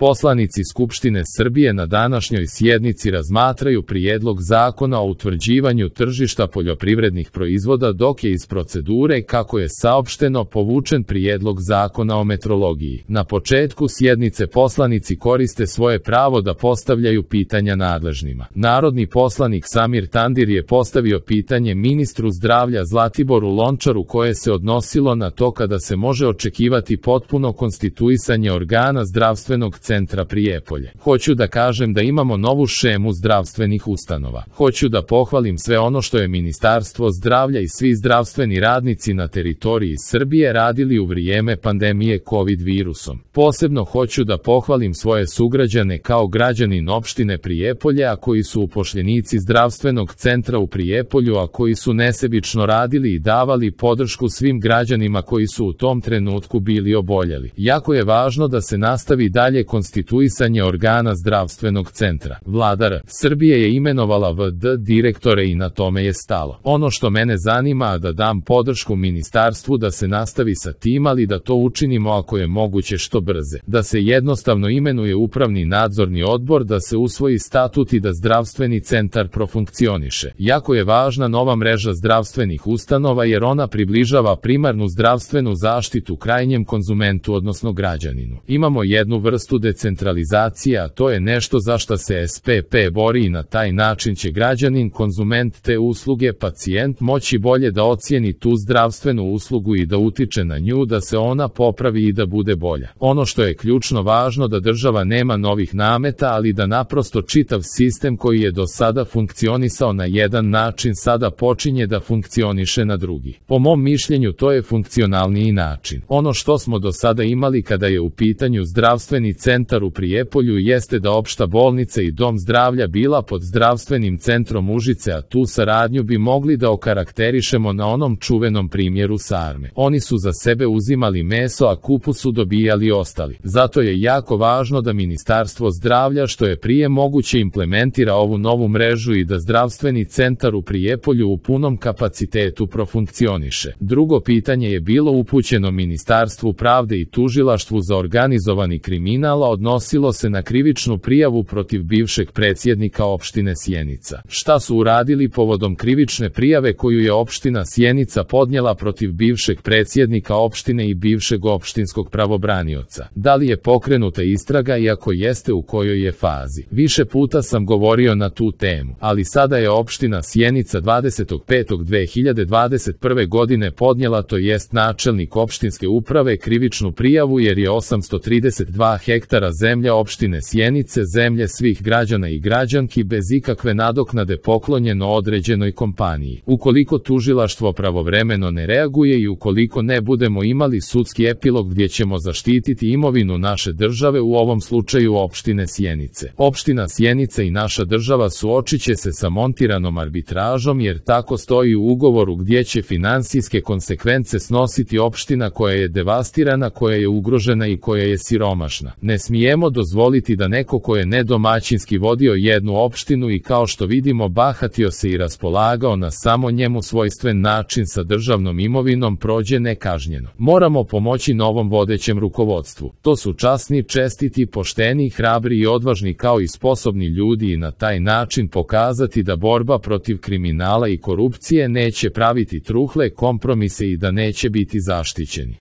Poslanici Skupštine Srbije na današnjoj sjednici razmatraju prijedlog zakona o utvrđivanju tržišta poljoprivrednih proizvoda, dok je iz procedure, kako je saopšteno, povučen prijedlog zakona o metrologiji. Na početku sjednice poslanici koriste svoje pravo da postavljaju pitanja nadležnima. Narodni poslanik Samir Tandir je postavio pitanje ministru zdravlja Zlatiboru Lončaru koje se odnosilo na to kada se može očekivati potpuno konstituisanje organa zdravstvenog centra Prijepolje. Hoću da kažem da imamo novu šemu zdravstvenih ustanova. Hoću da pohvalim sve ono što je Ministarstvo zdravlja i svi zdravstveni radnici na teritoriji Srbije radili u vrijeme pandemije COVID virusom. Posebno hoću da pohvalim svoje sugrađane kao građanin opštine Prijepolje, a koji su upošljenici zdravstvenog centra u Prijepolju, a koji su nesebično radili i davali podršku svim građanima koji su u tom trenutku bili oboljeli. Jako je važno da se nastavi dalje konstituisanje organa zdravstvenog centra. Vlada Srbije je imenovala VD direktore i na tome je stalo. Ono što mene zanima je da dam podršku ministarstvu da se nastavi sa tim, ali da to učinimo ako je moguće što brže. Da se jednostavno imenuje upravni nadzorni odbor, da se usvoji statut i da zdravstveni centar profunkcioniše. Jako je važna nova mreža zdravstvenih ustanova jer ona približava primarnu zdravstvenu zaštitu krajnjem konzumentu, odnosno građaninu. Imamo jednu vrstu decentralizacije, a to je nešto za što se SPP bori i na taj način će građanin, konzument te usluge, pacijent moći bolje da ocijeni tu zdravstvenu uslugu i da utiče na nju da se ona popravi i da bude bolja. Ono što je ključno važno da država nema novih nameta, ali da naprosto čitav sistem koji je do sada funkcionisao na jedan način sada počinje da funkcioniše na drugi. Po mom mišljenju to je funkcionalniji način. Ono što smo do sada imali kada je u pitanju zdravstveni centar u Prijepolju jeste da opšta bolnica i dom zdravlja bila pod zdravstvenim centrom Užice, a tu saradnju bi mogli da okarakterišemo na onom čuvenom primjeru sarme. Oni su za sebe uzimali meso, a kupus su dobijali ostali. Zato je jako važno da Ministarstvo zdravlja što je prije moguće implementira ovu novu mrežu i da zdravstveni centar u Prijepolju u punom kapacitetu profunkcioniše. Drugo pitanje je bilo upućeno Ministarstvu pravde i tužilaštvu za organizovani kriminal, a odnosilo se na krivičnu prijavu protiv bivšeg predsjednika opštine Sjenica. Šta su uradili povodom krivične prijave koju je opština Sjenica podnijela protiv bivšeg predsjednika opštine i bivšeg opštinskog pravobranioca? Da li je pokrenuta istraga i ako jeste, u kojoj je fazi? Više puta sam govorio na tu temu, ali sada je opština Sjenica 25.5.2021. godine podnijela, to jest načelnik opštinske uprave, krivičnu prijavu jer je 832 hektara zemlja opštine Sjenice, zemlje svih građana i građanki, bez ikakve nadoknade poklonjeno određenoj kompaniji. Ukoliko tužilaštvo pravovremeno ne reaguje i ukoliko ne budemo imali sudski epilog gdje ćemo zaštititi imovinu naše države, u ovom slučaju opštine Sjenice. Opština Sjenica i naša država suočit će se sa montiranom arbitražom jer tako stoji u ugovoru gdje će finansijske konsekvence snositi opština koja je devastirana, koja je ugrožena i koja je siromašna. Ne smijemo dozvoliti da neko ko je nedomaćinski vodio jednu opštinu i kao što vidimo bahatio se i raspolagao na samo njemu svojstven način sa državnom imovinom prođe nekažnjeno. Moramo pomoći novom vodećem rukovodstvu. To su časni, čestiti, pošteni, hrabri i odvažni kao i sposobni ljudi i na taj način pokazati da borba protiv kriminala i korupcije neće praviti truhle kompromise i da neće biti zaštićeni.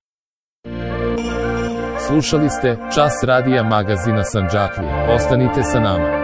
Slušali ste Čas radija magazina Sandžaklije. Ostanite sa nama.